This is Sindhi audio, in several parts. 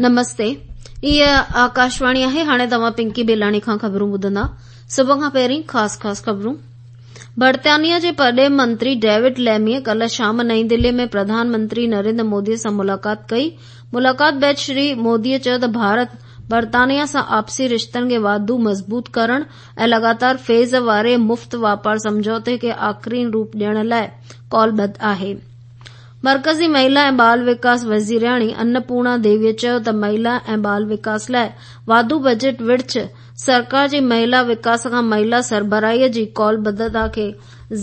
نمستي هيء آڪاشواڻي آهي هاڻي توهان پنڪي بيلاڻي کان خبرون ٻڌندا سڀ کان پهرين خاص خاص خبرون برطانيا جي پرڏيهه منتري ڊيوڊ ليميء ڪلهه شام نئين دهلي ۾ پرڌان منتري نريندر مودي سان ملاقات ڪئي ملاقات بعد شري مودي چيو ته ڀارت برطانيا سان آپسي رشتن کي واڌو مضبوط ڪرڻ ۽ لڳاتار فيز واري مفت واپار سمجهوتي کي آخرين روپ ڏيڻ لاء قولبڌ آهي مرڪزي مهلا ۽ ٻال وڪاس وزيرياڻي انپورڻا ديويء چيو ته مهلا ۽ ٻال وڪاس لاء واڌو بجيٽ ورڇ سرڪار جي مهلا وڪاس کان مهلا سربراهيء جي قولبڌتا کي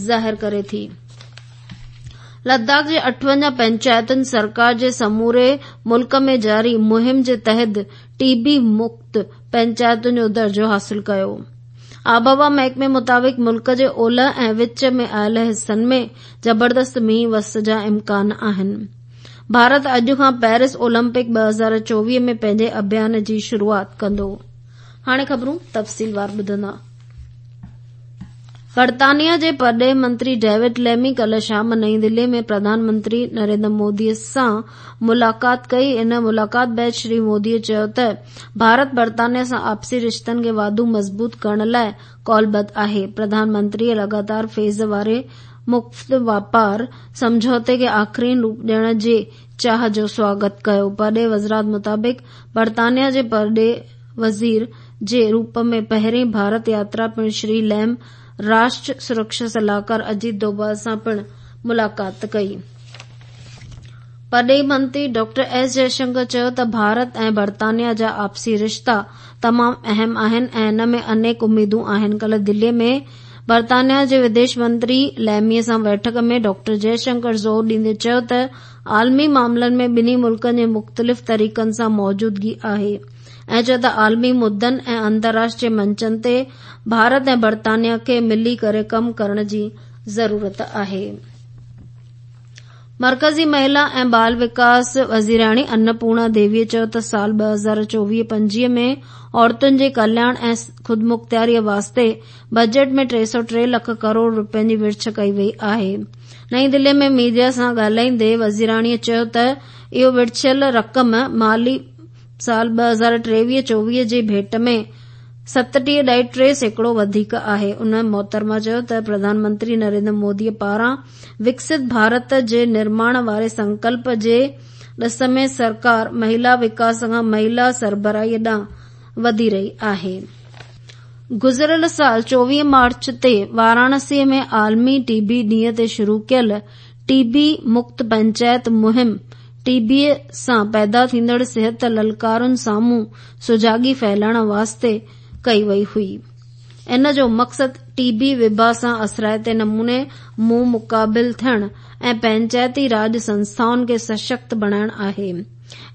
ظاهر ڪري ٿي. لداخ جي 58 پئنچائتن سرڪار جي سموري ملڪ ۾ جاري مهم جي تحت ٽي بي مڪت پئنچائتن جو درجو حاصل ڪيو. آبهوا محڪمي مطابق ملڪ جي اولهه ۽ وچ ۾ آيل حصن ۾ زبردست مينهن وس جا امڪان آهن. ڀارت اڄ کان پيرس اولمپڪ 2024 ۾ پنهنجي اڀيان جي شروعات ڪندو. هاڻي خبرون تفصيلوار ٻڌندا. برطانيا جي پرڏيهه منتري ڊيوڊ ليمي ڪلهه شام نئين دهلي ۾ پرڌان منتري نريندر مودي سان ملاقات ڪئي. ان ملاقات بعد شري مودي چيو ته ڀارت برطانيا سان آپسي رشتن کي واڌو مضبوط ڪرڻ لاء قولبڌ آهي. پرڌان منتري لڳاتار فيز واري مفت واپار سمجهوتي کي آخرين روپ ڏيڻ جي چاهه جو سواگت ڪيو. پرڏيهه وزارت مطابق برطانيا جي پرڏيهه وزير جي روپ ۾ پهرين ڀارت ياترا پڻ شري ليم راشٽر سرڪشا صلاحڪار اجيت دوڀال سان پڻ ملاقات ڪئي. پرڏيهي منتري ڊاڪٽر ايس جئشنڪر چيو ته ڀارت ۽ برطانيا جا آپسي رشتا تمام اهم آهن ۽ ان ۾ انيڪ اميدون آهن. ڪلهه دلي ۾ برطانيا جي وديش منتري ليمي سان بيٺڪ ۾ ڊاڪٽر جئشنڪر زور ڏيندي چيو ته عالمي معاملن ۾ ٻنهي ملڪن جي مختلف طريقن سان موجودگي آهي ۽ چيو ته عالمي مدن ۽ انترراشٽريه منچن تي ڀارت ۽ برطانيا کي ملي ڪري ڪم ڪرڻ جي ضرورت آهي. مرڪزي مهلا ۽ ٻال وڪاس وزيرياڻي انپورڻا ديويء چيو ته سال 2024-25 ۾ عورتن جي ڪلياڻ ۽ خودمختياريء واسطي بجيٽ ۾ 303 لک ڪروڙ رپين جي ورڇ ڪئي وئي آهي. نئين دهلي ۾ ميڊيا سان ڳالهائيندي وزيراڻيء چيو ته اهو ورڇيل رقم مالي سال 2023-24 جي ڀيٽ ۾ 37.3% وڌيڪ آهي. ان محترمه چيو ته پرڌان منتري نريندر مودي پاران وڪست ڀارت جي نرماڻ واري سنڪلپ جي ڏس ۾ سرڪار مهلا وڪاس کان مهلا سربراهي ڏانهن وڌي رهي آهي. گذريل سال 24 مارچ تي واراڻسي ۾ عالمي ٽي بي ڏينهن تي شروع ڪيل ٽي بي مڪت پئنچائت مهم ٽي بي سان پيدا ٿيندڙ صحت للڪارن سامهون سجاڳي ڦهلائڻ واسطي ڪئي وئي هئي. ان جو مقصد ٽي بي وبا سان اثرائتي نموني منهن مقابل ٿيڻ ۽ پئنچائتي راڄ سنسٿائن کي سشڪت بڻائڻ آهي.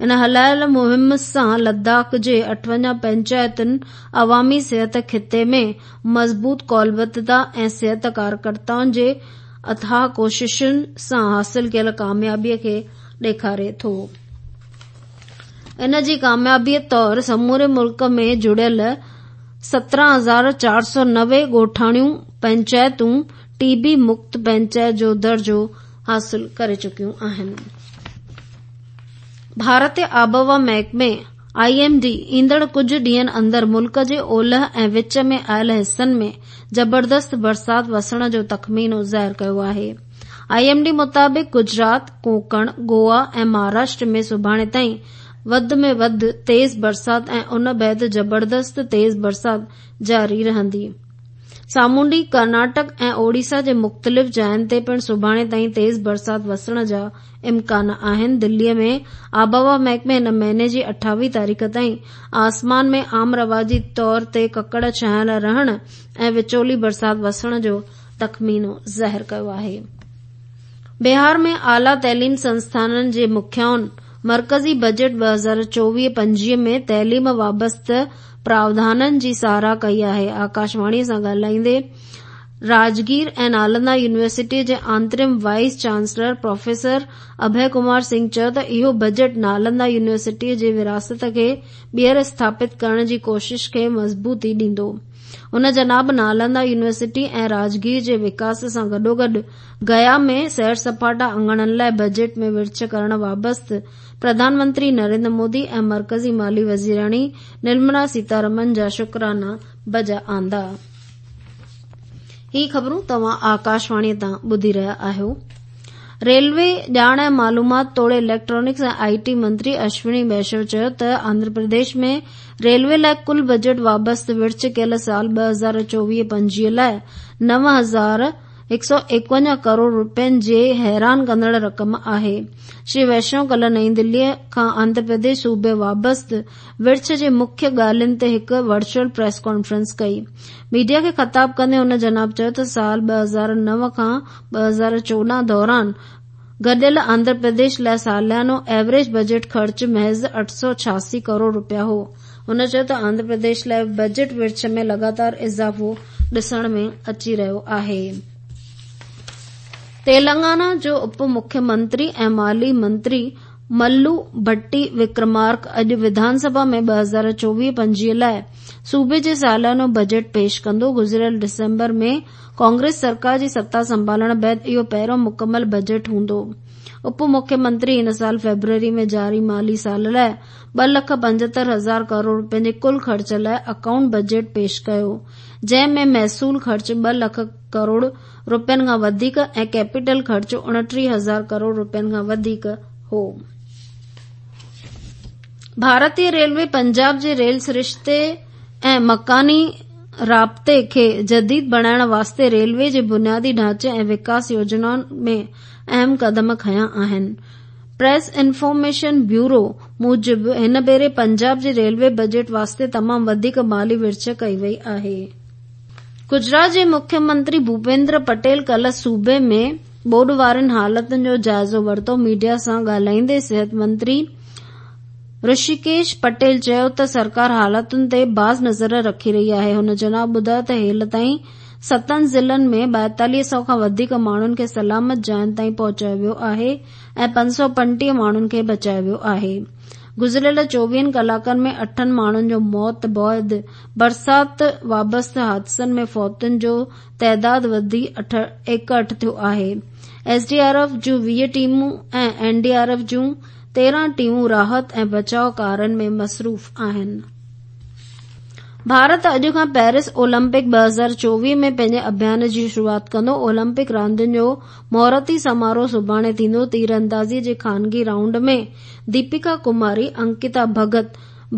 ان هلايل مهم سان لداخ جي 58 پئنچائتن عوامي صحت خطي ۾ مضبوط قولبڌتا ۽ صحت ڪارڪرتائن جي اٿاهه ڪوششن سان حاصل ڪيل ڪاميابي کي ڏيکاري ٿو. ان جي ڪاميابي طور سموري ملڪ ۾ جڙيل 17490 ڳوٺاڻيون پئنچائتون ٽي بي مڪت پئنچائت جو درجو حاصل ڪري چڪيون آهن. ڀارتي آبهوا محڪمي، I M D, ايندڙ ڪجهه ڏينهن اندر ملڪ جي اولهه ۽ وچ ۾ آيل حصن ۾ زبردست برسات وسڻ جو تخمينو ظاهر ڪيو آهي. I M D مطابق گجرات، ڪونڪڻ، گوا ۽ مهاراشٽر ۾ سڀاڻي تائين وڌ ۾ وڌ تيز برسات ۽ ان بعد زبردست تيز برسات جاري رهندي. سامونڊي ڪرناٽڪ ۽ اوڙيسا جي مختلف جاين تي پڻ سڀاڻي تائين تيز برسات وسڻ جا امڪان آهن. دلي ۾ آبهوا محڪمي هن مهيني جي 28 تاريخ تائين آسمان ۾ عام رواجي طور تي ڪڪڙ ڇانيل رهڻ ۽ وچولي برسات وسڻ جو تخمينو ظاهر ڪيو آهي. بهار ۾ اعليٰ تعليم سنسٿانن جي مکيائن مرڪزي بجيٽ 2024-25 ۾ تعليم وابسته پراوڌانن جي ساراهه ڪئي آهي. آڪاشواڻي سان ڳالهائيندي راجگير ۽ نالندا يونيورسٽي جي interim vice chancellor professor Abhay Kumar Singh چيو ته اهو بجيٽ نالندا يونيورسٽي جي وراثت کي ٻيهر اسٿاپت ڪرڻ جي ڪوشش کي مضبوطي ڏيندو. هن جناب نالندا يونيورسٽي ۽ راجگير جي وڪاس سان گڏوگڏ گيا ۾ سيرسپاٽا اڱڻن لاء بجيٽ ۾ ورڇ ڪرڻ وابست پرڌان منتري نريندر مودي ۽ مرڪزي مالي وزيراڻي نرملا سيتارمن جا شڪرانا بجا آندا. هي خبرون توهان آڪاشواڻي تان ٻڌي رهيا آهيو. ريلوي، ڄاڻ ۽ معلومات توڙي اليڪٽرانڪس ۽ آء ٽي منتري اشوني ويشنو چيو ته آنڌرا پرديش ۾ ريلوي لاء ڪل بجيٽ وابست ورڇ ڪيل سال 2024-25 لاء 9151 ڪروڙ رپين جي حيران ڪندڙ رقم آهي. شري ويشنو ڪلهه نئين دهلي کان آنڌرا پرديش صوبي وابست ورڇ جي مکيه ڳالهين تي هڪ ورچوئل پريس ڪانفرنس ڪئي. ميڊيا کي خطاب ڪندي هن جناب چيو ته سال 2009 کان 2014 دوران گڏيل آنڌرا پرديش لاء ساليانو ايوريج بجيٽ خرچ محض 886 ڪروڙ رپيا هو. هن چيو ته آنڌرا پرديش لاء بجيٽ ورڇ ۾ لڳاتار اضافو ڏسڻ ۾ اچي رهيو آهي. تيلنگانا جو اپ مکيه منتري ۽ مالي منتري ملو ڀٽي وڪرمارڪ اڄ وڌان سڀا ۾ 2024-25 لاء صوبي جي ساليانو بجيٽ پيش ڪندو. گذريل ڊسمبر ۾ ڪانگريس سرڪار جي ستا سنڀالڻ بعد اهو پهريون مڪمل بجيٽ هوندو. اپ مکيه منتري هن سال فيبروري ۾ جاري مالي سال لاء 2,75,000 ڪروڙ رپين جي ڪل خرچ لاء اڪائونٽ بجيٽ پيش ڪيو، جنهن ۾ محصول خرچ 2 لک ڪروڙ رپين کان وڌيڪ ۽ ڪيپيٽل خرچ 29,000 ڪروڙ رپين کان وڌيڪ هو. ڀارتي ريلوي پنجاب جي ريل سرشتي ۽ مڪاني رابطي کي جديد بڻائڻ واسطي ريلوي جي بنيادي ڍانچي ۽ وڪاس يوجنائن ۾ اهم قدم کنيا آهن. پريس انفارميشن بيورو موجب هن ڀيري پنجاب جي ريلوي بجيٽ واسطي تمام وڌيڪ مالي ورڇ ڪئي وئي آهي. گجرات جي مکيه منتري ڀوپيندر پٽيل ڪلهه صوبي ۾ ٻوڏ وارين حالتن جو جائزو ورتو. ميڊيا سان ڳالهائيندي صحت منتري رشيڪيش پٽيل چيو ته سرڪار حالتن تي باز نظر رکي رهي آهي. هن جناب ٻڌايو ته هيل تائين ستن ضلعن ۾ 42 سئو کان وڌيڪ ماڻهن کي سلامت جاين تائين پهچايو ويو آهي ۽ 535 ماڻهن کي بچايو ويو آهي. گذريل چوويهن ڪلاڪن ۾ اٺن ماڻهن جو موت بعد برسات وابسته حادثن ۾ فوتين جو تعداد وڌي 61 ٿيو آهي. ايس ڊي آر ايف جون 20 ٽيمون ۽ اين ڊي آر ايف جون 13 ٽيمون راحت ۽ بچاء ڪارين ۾ مصروف آهن. ڀارت اڄ کان پيرس اولمپڪ 2024 ۾ پنهنجي اڀيان جي شروعات ڪندو. اولمپڪ راندين جو مهورتي سماروهه سڀاڻي ٿيندو. تيراندازي جي خانگي رائونڊ ۾ ديپيڪا ڪماري، انڪتا ڀڳت،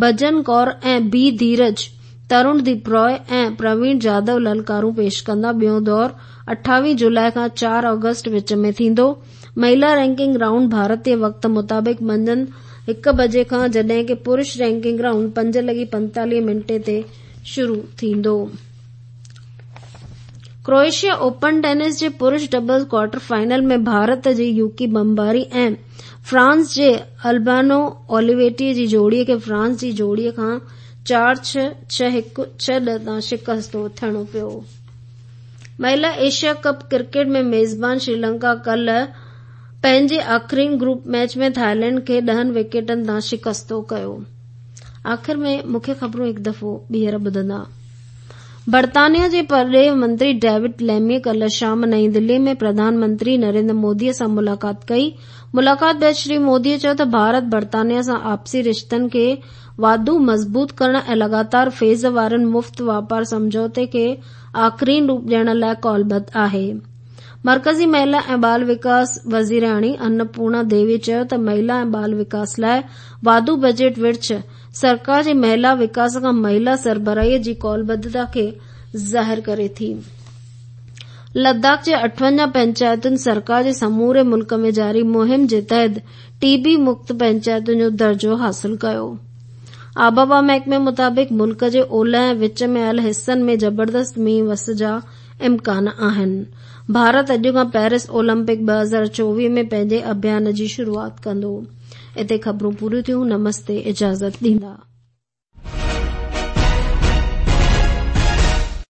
ڀجن ڪور ۽ بي ڌيرج، ترڻ ديپ راء ۽ پروين جادو للڪارون پيش ڪندا. ٻيون دور 28 جولاء کان 4 آگسٽ وچ ۾ ٿيندو. مهلا رينڪنگ رائونڊ ڀارتي وقت مطابق منجهند 1 بجي کان جڏهن ڪه پرش رينڪنگ رائونڊ 5:45 تي شروع ٿيندو. ڪروئيشيا اوپن ٽينس جي پرش ڊبلز ڪوارٽر فائنل ۾ ڀارت جي يوڪي بمباري ۽ فرانس جي البانو اوليويٽي جي جوڙي کي فرانس جي جوڙي کان 4-6، 6-1، 6-2 تان شڪستو ٿيڻو پيو. مهلا ايشيا ڪپ ڪرڪيٽ ۾ ميزبان شريلنڪا ڪلهه پنهنجي آخرين گروپ ميچ ۾ ٿائيلينڊ کي 10 وڪيٽن تان شڪستو ڪيو. آخر ۾ مکيه خبرون هڪ دفعو ٻيهر ٻڌندا. برطانيا جي پرڏيهي منتري ڊيوڊ ليمي ڪلهه شام نئين دهلي ۾ پرڌان منتري نريندر مودي سان ملاقات ڪئي. ملاقات بعد شري مودي چيو ته ڀارت برطانيا سان آپسي رشتن کي واڌو مضبوط ڪرڻ ۽ لڳاتار فيز وارن مفت واپار سمجهوتي کي آخرين روپ ڏيڻ لاء قولبڌ آهي. مرڪزي مهلا ۽ ٻال وڪاس وزيرياڻي انپورڻا ديوي چيو ته مهلا ۽ ٻال وڪاس لاء واڌو بجيٽ ورڇ سرڪار جي مهلا وڪاس کان مهلا سربراهي جي قولبڌتا کي ظاهر ڪري ٿي. لداخ جي 58 پئنچائتن سرڪار جي سموري ملڪ ۾ جاري مهم جي تحت ٽي بي مڪت پئنچائتن جو درجو حاصل ڪيو. آبهوا محڪمي مطابق ملڪ جي اولهه ۽ وچ ۾ آيل حصن ۾ زبردست مينهن وس جا امڪان آهن. ڀارت اڄ کان پيرس اولمپڪ 2024 ۾ پنهنجي اڀيان جي شروعات ڪندو. اتي خبرون پوريون ٿيون. نمستي اجازت ڏيندا.